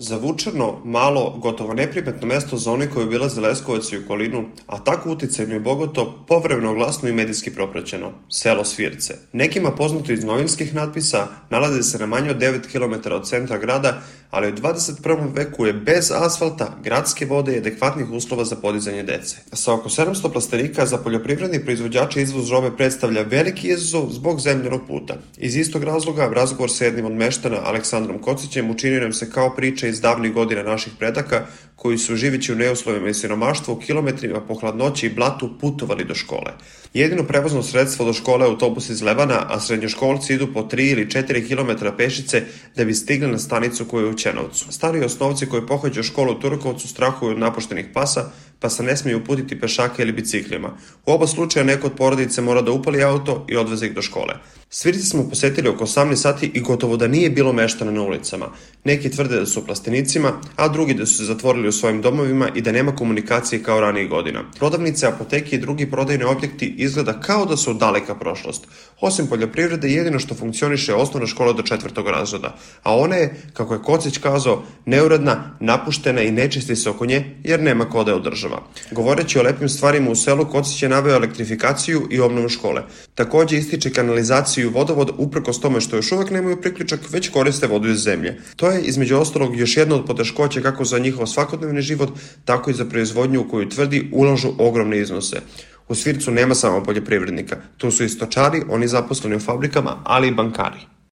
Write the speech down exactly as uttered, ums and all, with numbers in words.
Zavučeno, malo, gotovo neprimetno mesto za one koji obilaze Leskovac i okolinu, a tako uticajno i bogato, povremeno glasno i medijski propraćeno, selo Svirce. Nekima poznato iz novinskih natpisa, nalaze se na manje od devet kilometara od centra grada, ali u dvadeset prvom veku je bez asfalta, gradske vode i adekvatnih uslova za podizanje dece. Sa oko sedamsto plastenika za poljoprivredni proizvođače izvoz robe predstavlja veliki izazov zbog zemljanog puta. Iz istog razloga, razgovor sa jednim od meštana, Aleksandrom Kocićem, učinio nam se kao priča iz davnih godina naših predaka, koji su živeći u neuslovima i siromaštvu kilometrima po hladnoći i blatu putovali do škole. Jedino prevozno sredstvo do škole je autobus iz Lebana, a srednjoškolci idu po tri ili četiri kilometra pešice da bi stigli na stanicu koja je u Ćenovcu. Stari osnovci koji pohađaju školu u Turkovcu strahuju od napuštenih pasa, pa se ne smiju uputiti pešaka ili biciklima. U oba slučaja neko od porodice mora da upali auto i odveze ih do škole. Svirci smo posetili oko osamnaest sati i gotovo da nije bilo meštana na ulicama. Neki tvrde da su u plastenicima, a drugi da su se zatvorili u svojim domovima i da nema komunikacije kao ranijih godina. Prodavnice, apoteke i drugi prodajni objekti izgleda kao da su daleka prošlost. Osim poljoprivrede, jedino što funkcioniše je osnovna škola do četvrtog razreda, a ona je, kako je Kocić kazao, neuredna, napuštena i nečisti se oko nje jer nema ko da je održava. Govoreći o lepim stvarima u selu, Kocić je naveo elektrifikaciju i obnovu škole. Takođe ističe kanalizaciju i vodovod, uprkos tome što još uvek nemaju priključak, već koriste vodu iz zemlje. To je, između ostalog, još jedna od poteškoća kako za njihov svakodnevni život, tako i za proizvodnju u koju tvrdi ulažu ogromne iznose. U Svircu nema samo poljoprivrednika. Tu su i stočari, oni zaposleni u fabrikama, ali i bankari.